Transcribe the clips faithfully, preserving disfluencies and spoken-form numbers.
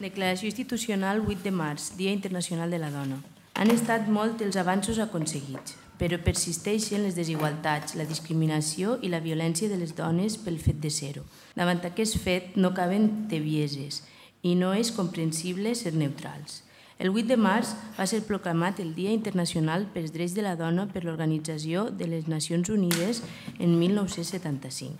Declaració institucional vuit de març, Dia Internacional de la Dona. Han estat molts els avanços aconseguits, però persisteixen les desigualtats, la discriminació i la violència de les dones pel fet de ser-ho. Davant aquest fet no caben tebieses i no és comprensible ser neutrals. El vuit de març va ser proclamat el Dia Internacional pels Drets de la Dona per l'Organització de les Nacions Unides en mil nou-cents setanta-cinc.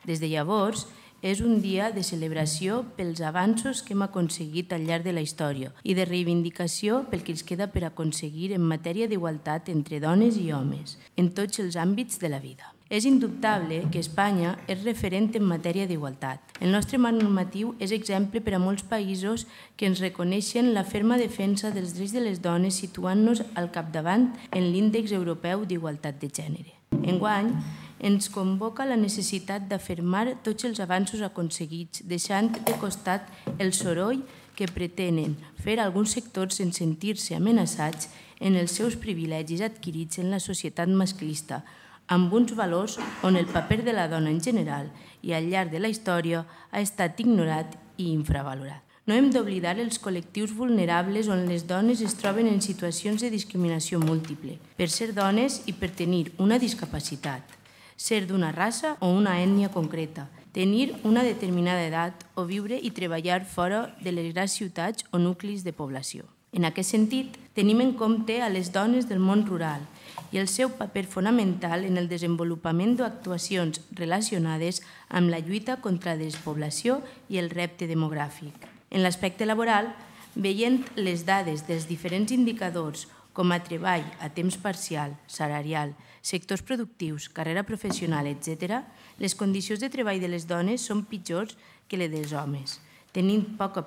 Des de llavors, és un dia de celebració pels avanços que hem aconseguit al llarg de la història i de reivindicació pel que ens queda per aconseguir en matèria d'igualtat entre dones i homes, en tots els àmbits de la vida. És indubtable que Espanya és referent en matèria d'igualtat. El nostre marc normatiu és exemple per a molts països que ens reconeixen la ferma defensa dels drets de les dones situant-nos al capdavant en l'Índex Europeu d'Igualtat de Gènere. Enguany, ens convoca la necessitat d'afirmar tots els avanços aconseguits, deixant de costat el soroll que pretenen fer alguns sectors en sentir-se amenaçats en els seus privilegis adquirits en la societat masclista, amb uns valors on el paper de la dona en general i al llarg de la història ha estat ignorat i infravalorat. No hem d'oblidar els col·lectius vulnerables on les dones es troben en situacions de discriminació múltiple, per ser dones i per tenir una discapacitat, ser d'una raça o una ètnia concreta, tenir una determinada edat o viure i treballar fora de les grans ciutats o nuclis de població. En aquest sentit, tenim en compte a les dones del món rural i el seu paper fonamental en el desenvolupament d'actuacions relacionades amb la lluita contra la despoblació i el repte demogràfic. En l'aspecte laboral, veient les dades dels diferents indicadors com a treball a temps parcial, salarial, sectors productius, carrera professional, etcètera, les condicions de treball de les dones són pitjors que les dels homes, tenint poca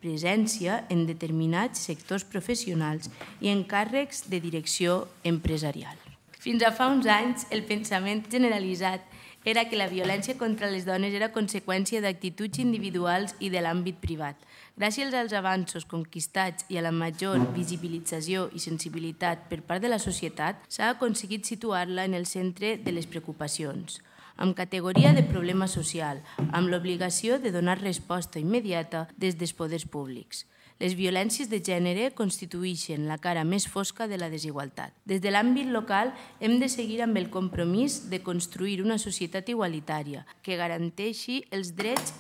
presència en determinats sectors professionals i en càrrecs de direcció empresarial. Fins a fa uns anys, el pensament generalitzat era que la violència contra les dones era conseqüència d'actituds individuals i de l'àmbit privat. Gràcies als avanços conquistats i a la major visibilització i sensibilitat per part de la societat, s'ha aconseguit situar-la en el centre de les preocupacions, amb categoria de problema social, amb l'obligació de donar resposta immediata des dels poders públics. Les violències de gènere constitueixen la cara més fosca de la desigualtat. Des de l'àmbit local hem de seguir amb el compromís de construir una societat igualitària que garanteixi els drets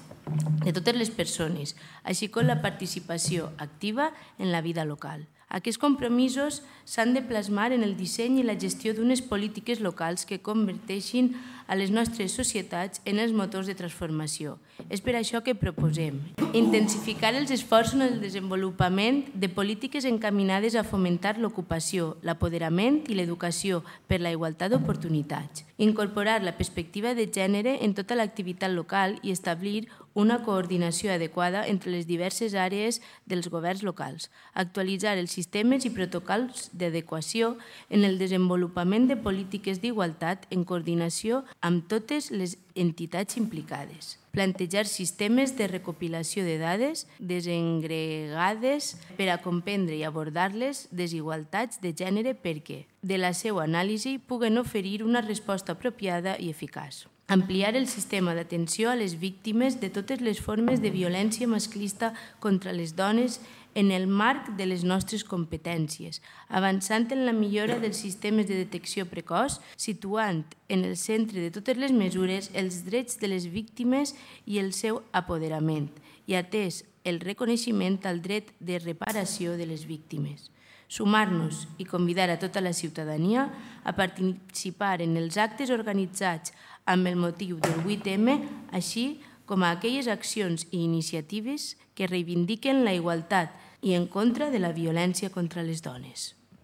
de totes les persones, així com la participació activa en la vida local. Aquests compromisos s'han de plasmar en el disseny i la gestió d'unes polítiques locals que converteixin a les nostres societats en els motors de transformació. És per això que proposem intensificar els esforços en el desenvolupament de polítiques encaminades a fomentar l'ocupació, l'apoderament i l'educació per la igualtat d'oportunitats, incorporar la perspectiva de gènere en tota l'activitat local i establir una coordinació adequada entre les diverses àrees dels governs locals, actualitzar els sistemes i protocols d'adequació en el desenvolupament de polítiques d'igualtat en coordinació amb totes les entitats implicades, plantejar sistemes de recopilació de dades desengregades per a comprendre i abordar-les desigualtats de gènere perquè, de la seva anàlisi, puguen oferir una resposta apropiada i eficaç. Ampliar el sistema d'atenció a les víctimes de totes les formes de violència masclista contra les dones en el marc de les nostres competències, avançant en la millora dels sistemes de detecció precoç, situant en el centre de totes les mesures els drets de les víctimes i el seu apoderament, i atès el reconeixement al dret de reparació de les víctimes. Sumar-nos i convidar a tota la ciutadania a participar en els actes organitzats amb el motiu del vuit eme, així com a aquelles accions i iniciatives que reivindiquen la igualtat i en contra de la violència contra les dones.